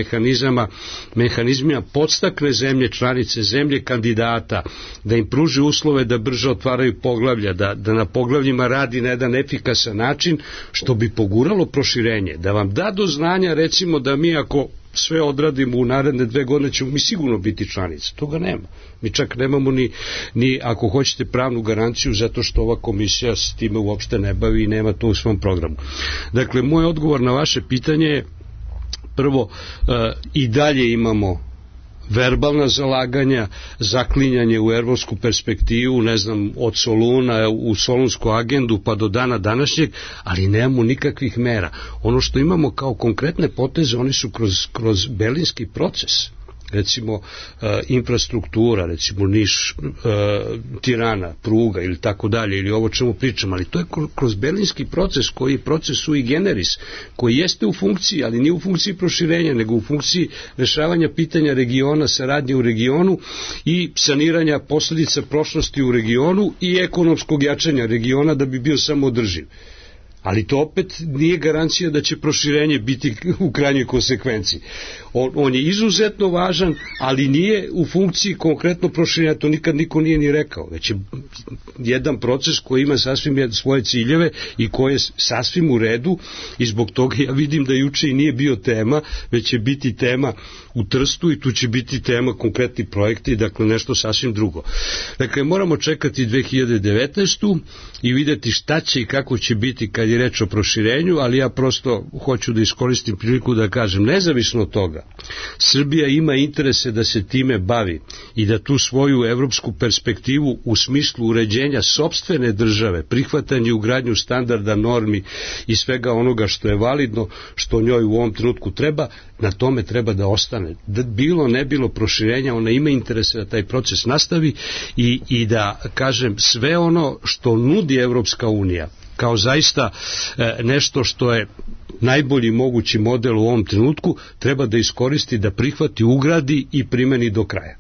Speaker 5: mehanizmima podstakne zemlje članice, zemlje kandidata, da im pruži uslove da brže otvaraju poglavlja, da na poglavljima radi na jedan efikasan način, što bi poguralo proširenje, da vam da do znanja recimo da mi ako sve odradimo u naredne 2 godine ćemo mi sigurno biti članice. Toga nema. Mi čak nemamo ni ako hoćete pravnu garanciju zato što ova komisija s time uopšte ne bavi i nema to u svom programu. Dakle, moj odgovor na vaše pitanje je prvo, i dalje imamo verbalna zalaganja, zaklinjanje u evropsku perspektivu, ne znam, od Soluna u Solunsku agendu pa do dana današnjeg, ali nemamo nikakvih mera. Ono što imamo kao konkretne poteze, oni su kroz Berlinski proces. Recimo infrastruktura, recimo Niš, Tirana, pruga ili tako dalje, ili ovo čemu pričam, ali to je kroz berlinski proces koji je proces sui generis, koji jeste u funkciji, ali nije u funkciji proširenja, nego u funkciji rešavanja pitanja regiona, saradnje u regionu i saniranja posledica prošlosti u regionu i ekonomskog jačanja regiona da bi bio samoodrživ. Ali to opet nije garancija da će proširenje biti u krajnjoj konsekvenciji. On je izuzetno važan, ali nije u funkciji konkretno proširenja, to nikad niko nije ni rekao, već je jedan proces koji ima sasvim svoje ciljeve i koji je sasvim u redu i zbog toga ja vidim da juče i nije bio tema, već će biti tema u Trstu i tu će biti tema konkretni projekti, dakle nešto sasvim drugo. Dakle, moramo čekati 2019. i videti šta će i kako će biti kad je reč o proširenju, ali ja prosto hoću da iskoristim priliku da kažem, nezavisno od toga, Srbija ima interese da se time bavi i da tu svoju evropsku perspektivu u smislu uređenja sopstvene države, prihvatanje i ugradnju standarda, normi i svega onoga što je validno, što njoj u ovom trenutku treba, na tome treba da ostane. Da bilo ne bilo proširenja, ona ima interese da taj proces nastavi i da, kažem, sve ono što nudi Evropska unija kao zaista nešto što je najbolji mogući model u ovom trenutku, treba da iskoristi, da prihvati, ugradi i primeni do kraja.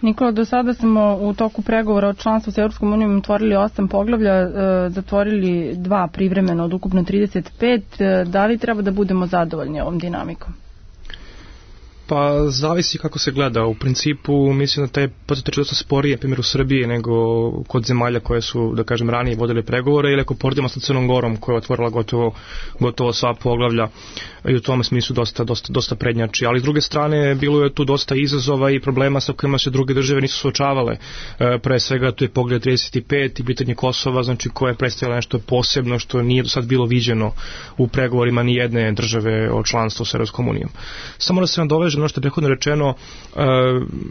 Speaker 4: Nikola, do sada smo u toku pregovora o članstvu s Europskom unijom otvorili 8 poglavlja, zatvorili 2 privremeno od ukupno 35. Da li treba da budemo zadovoljni ovom dinamikom?
Speaker 6: Pa zavisi kako se gleda. U principu mislim da taj proces teče dosta sporije, na primjer u Srbiji, nego kod zemalja koje su, da kažem, ranije vodile pregovore, ili ako poredimo sa Crnom Gorom koja je otvorila gotovo sva poglavlja i u tom smislu dosta prednjači. Ali s druge strane bilo je tu dosta izazova i problema sa kojima se druge države nisu suočavale. Pre svega tu je poglavlje 35 i pitanje Kosova, znači koje je predstavljalo nešto posebno što nije do sad bilo viđeno u pregovorima ni jedne države o članstvu s Europskom unijom. Samo da se nadovežem ono što je prethodno rečeno,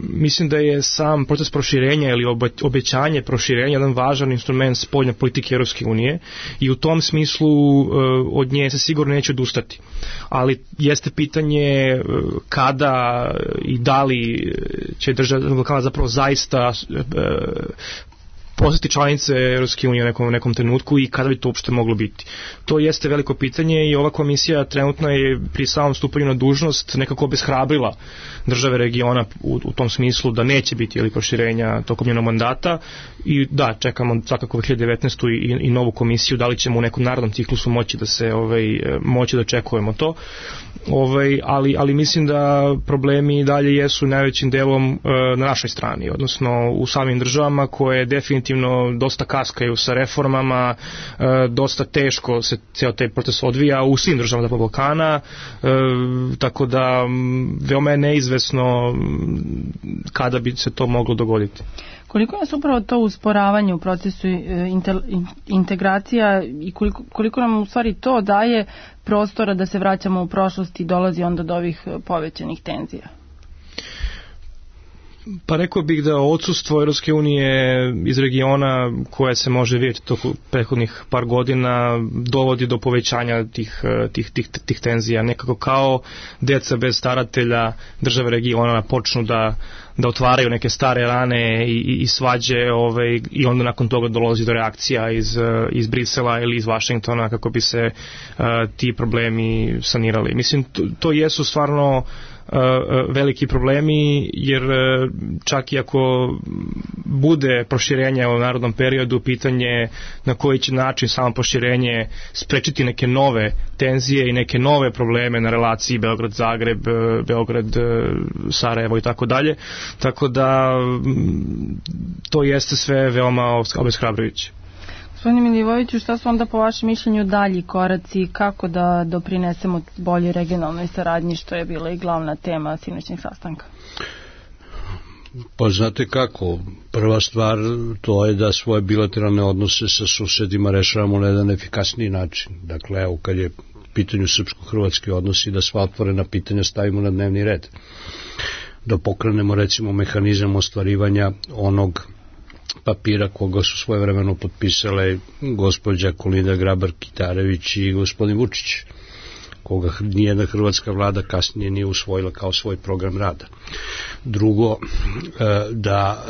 Speaker 6: mislim da je sam proces proširenja ili obećanje proširenja jedan važan instrument spoljne politike Europske unije i u tom smislu od nje se sigurno neće odustati. Ali jeste pitanje kada i da li će država Balkana zapravo zaista postati članice Europske unije u nekom trenutku i kada bi to uopšte moglo biti. To jeste veliko pitanje i ova komisija trenutno je pri samom stupanju na dužnost nekako obeshrabrila države regiona u tom smislu da neće biti ili proširenja tokom njenog mandata i da, čekamo svakako 2019. i novu komisiju, da li ćemo u nekom narodnom ciklusu moći da očekujemo to. Ali mislim da problemi dalje jesu najvećim delom na našoj strani, odnosno u samim državama koje definitivno dosta kaskaju sa reformama, dosta teško se cijel taj proces odvija u svim državama Zapadnog Balkana, tako da veoma je neizvesno kada bi se to moglo dogoditi.
Speaker 4: Koliko je upravo to usporavanje u procesu integracija i koliko nam u stvari to daje prostora da se vraćamo u prošlost i dolazi onda do ovih povećanih tenzija?
Speaker 6: Pa rekao bih da odsustvo Europske unije iz regiona koje se može vidjeti tokom prethodnih par godina dovodi do povećanja tih tenzija. Nekako kao deca bez staratelja države regiona počnu da otvaraju neke stare rane i svađe i onda nakon toga dolazi do reakcija iz Brisela ili iz Vašingtona kako bi se ti problemi sanirali. Mislim, to jesu stvarno veliki problemi, jer čak i ako bude proširenje u narodnom periodu, pitanje na koji će način samo proširenje sprečiti neke nove tenzije i neke nove probleme na relaciji Beograd-Zagreb, Beograd-Sarajevo i tako dalje. Tako da to jeste sve veoma obeshrabrujuće.
Speaker 4: Gospodine Milivojeviću, šta su onda po vašem mišljenju dalji koraci, kako da doprinesemo bolje regionalnoj saradnji, što je bila i glavna tema sinoćnjeg sastanka?
Speaker 5: Pa znate kako, prva stvar to je da svoje bilateralne odnose sa susedima rešavamo na jedan efikasniji način. Dakle, evo kad je pitanju srpsko-hrvatski odnosi, da sva otvorena pitanja stavimo na dnevni red. Da pokrenemo recimo mehanizam ostvarivanja onog papira koga su svojevremeno potpisale gospođa Kolinda Grabar-Kitarević i gospodin Vučić, koga nijedna hrvatska vlada kasnije nije usvojila kao svoj program rada. Drugo, da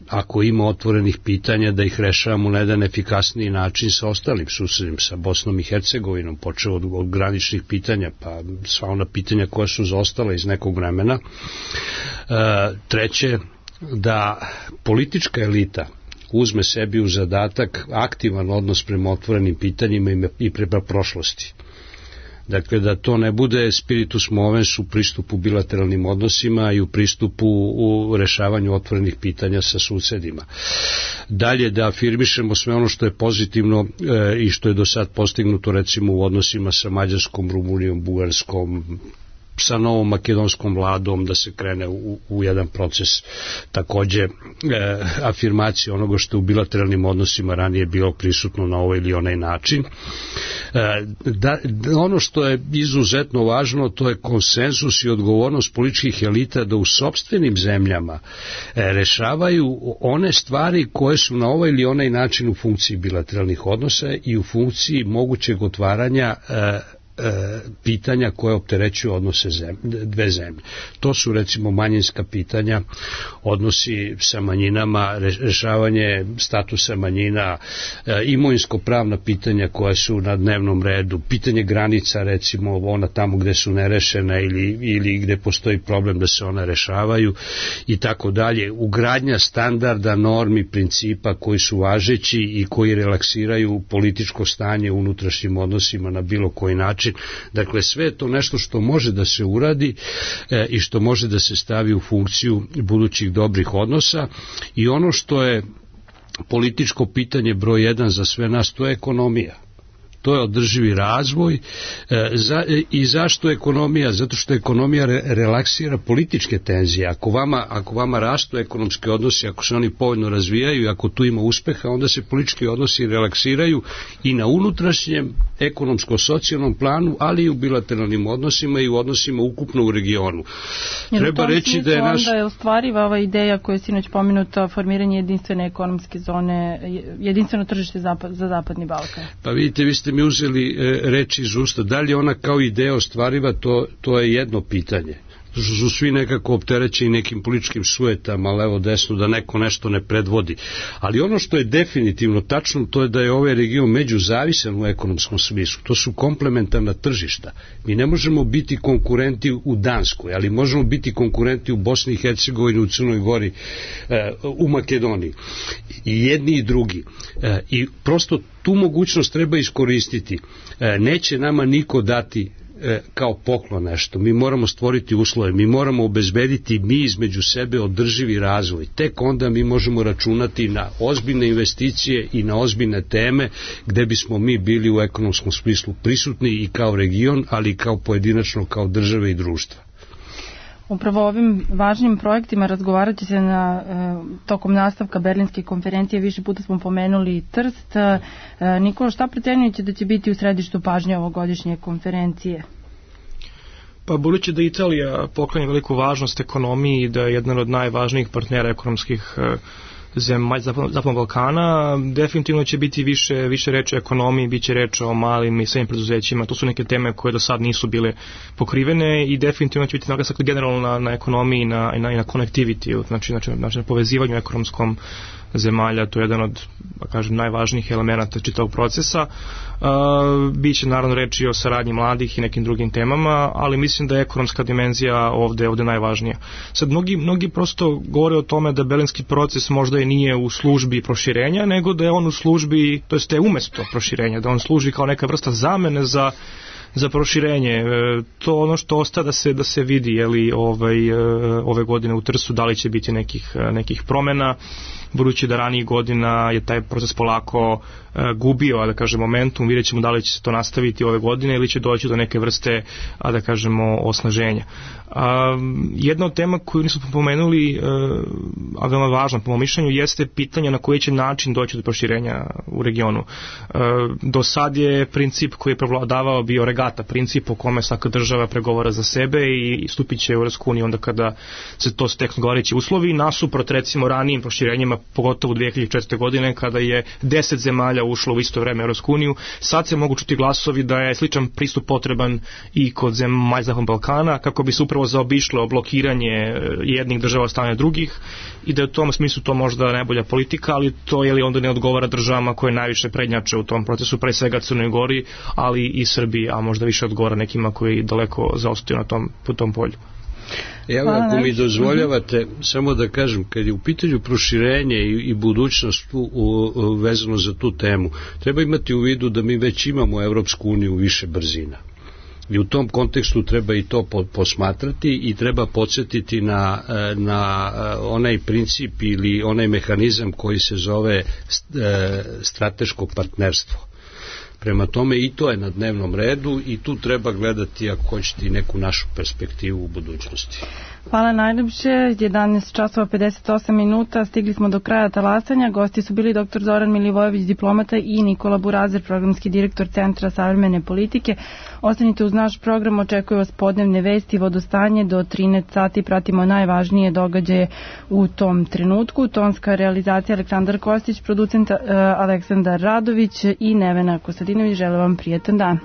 Speaker 5: ako ima otvorenih pitanja, da ih rešavamo na jedan efikasniji način sa ostalim susedima, sa Bosnom i Hercegovinom, počeo od graničnih pitanja, pa sva ona pitanja koja su zaostala iz nekog vremena. Treće, da politička elita uzme sebi u zadatak aktivan odnos prema otvorenim pitanjima i prema prošlosti. Dakle, da to ne bude spiritus movens u pristupu bilateralnim odnosima i u pristupu u rešavanju otvorenih pitanja sa susedima. Dalje, da afirmišemo sve ono što je pozitivno i što je do sad postignuto recimo u odnosima sa Mađarskom, Rumunijom, Bugarskom, sa novom makedonskom vladom, da se krene u jedan proces takođe afirmacije onoga što u bilateralnim odnosima ranije bilo prisutno na ovaj ili onaj način. Ono što je izuzetno važno, to je konsenzus i odgovornost političkih elita da u sopstvenim zemljama rešavaju one stvari koje su na ovaj ili onaj način u funkciji bilateralnih odnosa i u funkciji mogućeg otvaranja pitanja koje opterećuju odnose dve zemlje. To su recimo manjinska pitanja, odnosi sa manjinama, rešavanje statusa manjina, imovinsko-pravna pitanja koja su na dnevnom redu, pitanje granica, recimo ona tamo gde su nerešena ili gde postoji problem da se ona rešavaju i tako dalje, ugradnja standarda, normi, principa koji su važeći i koji relaksiraju političko stanje u unutrašnjim odnosima na bilo koji način. Dakle, sve je to nešto što može da se uradi i što može da se stavi u funkciju budućih dobrih odnosa i ono što je političko pitanje broj 1 za sve nas, to je ekonomija. To je održivi razvoj. I zašto ekonomija? Zato što ekonomija relaksira političke tenzije. Ako vama rastu ekonomski odnosi, ako se oni povoljno razvijaju i ako tu ima uspeha, onda se politički odnosi relaksiraju i na unutrašnjem ekonomsko-socijalnom planu, ali i u bilateralnim odnosima i u odnosima ukupno u regionu.
Speaker 4: Treba reći da je onda je ostvariva ova ideja koja je sinoć pomenuta, formiranje jedinstvene ekonomske zone, jedinstveno tržište za Zapadni Balkan.
Speaker 5: Pa vidite, vi ste mi uzeli reči iz usta. Da li ona kao ideja ostvariva, to je jedno pitanje. Su svi nekako opterećeni nekim političkim sujetama, levo desno, da neko nešto ne predvodi. Ali ono što je definitivno tačno, to je da je ovaj region međuzavisan u ekonomskom smislu. To su komplementarna tržišta. Mi ne možemo biti konkurenti u Danskoj, ali možemo biti konkurenti u Bosni i Hercegovini, u Crnoj Gori, u Makedoniji. I jedni i drugi. I prosto tu mogućnost treba iskoristiti. Neće nama niko dati kao poklon nešto. Mi moramo stvoriti uslove, mi moramo obezbediti mi između sebe održivi razvoj. Tek onda mi možemo računati na ozbiljne investicije i na ozbiljne teme gde bismo mi bili u ekonomskom smislu prisutni i kao region, ali i kao pojedinačno, kao države i društva.
Speaker 4: Upravo o ovim važnim projektima razgovarat će se tokom nastavka Berlinske konferencije. Više puta smo pomenuli Trst. Nikola, šta procenjujete da će biti u središtu pažnje ovogodišnje konferencije?
Speaker 6: Pa budući da Italija poklanja veliku važnost ekonomiji i da je jedan od najvažnijih partnera ekonomskih zemalja Zapadnog Balkana, definitivno će biti više reči o ekonomiji, bit će reč o malim i srednjim preduzećima. To su neke teme koje do sad nisu bile pokrivene i definitivno će biti naglasak generalno na ekonomiji i na connectivity, znači na povezivanju ekonomskom zemalja. To je jedan od, kažem, najvažnijih elemenata čitavog procesa. Biće naravno reči o saradnji mladih i nekim drugim temama, ali mislim da je ekonomska dimenzija ovde najvažnija. Sad, mnogi prosto govore o tome da berlinski proces možda i nije u službi proširenja, nego da je on u službi, to jest da je umesto proširenja, da on služi kao neka vrsta zamene za proširenje. To ono što ostaje da se vidi, jeli, ove godine u Trstu, da li će biti nekih promena, budući da ranijih godina je taj proces polako gubio, da kažem, momentum. Vidjet ćemo da li će se to nastaviti ove godine ili će doći do neke vrste, da kažemo, osnaženja. Jedna od tema koju nismo pomenuli, a veoma važna po mom mišljenju, jeste pitanje na koji će način doći do proširenja u regionu. Do sad je princip koji je prevladavao bio regata, princip u kome svaka država pregovara za sebe i stupit će u Europsku uniju onda kada se to steknu odgovarajući uslovi, nasuprot recimo ranijim proširenjima, pogotovo 2004. godine kada je 10 zemalja ušlo u isto vreme u Europsku uniju. Sad se mogu čuti glasovi da je sličan pristup potreban i kod zemalja Zapadnog Balkana, kako bi se upravo zaobišlo blokiranje jednih država od strane drugih, i da je u tom smislu to možda najbolja politika, ali to je li onda ne odgovara državama koje najviše prednjače u tom procesu, pre svega Crnoj Gori, ali i Srbiji, a možda više odgovara nekima koji daleko zaostaju po tom polju.
Speaker 5: Evo, ako mi dozvoljavate, samo da kažem, kad je u pitanju proširenje i budućnost vezano za tu temu, treba imati u vidu da mi već imamo Evropsku uniju više brzina. I u tom kontekstu treba i to posmatrati i treba podsjetiti na onaj princip ili onaj mehanizam koji se zove strateško partnerstvo. Prema tome i to je na dnevnom redu i tu treba gledati, ako hoćete, i neku našu perspektivu u budućnosti.
Speaker 4: Hvala najljepše. 11 časova 58 minuta. Stigli smo do kraja talasanja. Gosti su bili dr. Zoran Milivojević, diplomata, i Nikola Burazer, programski direktor Centra savremene politike. Ostanite uz naš program, očekuju vas podnevne vesti, vodostanje do 13 sati. Pratimo najvažnije događaje u tom trenutku. Tonska realizacija Aleksandar Kostić, producent Aleksandar Radović i Nevena Kostadinović. Želim vam prijetan dan.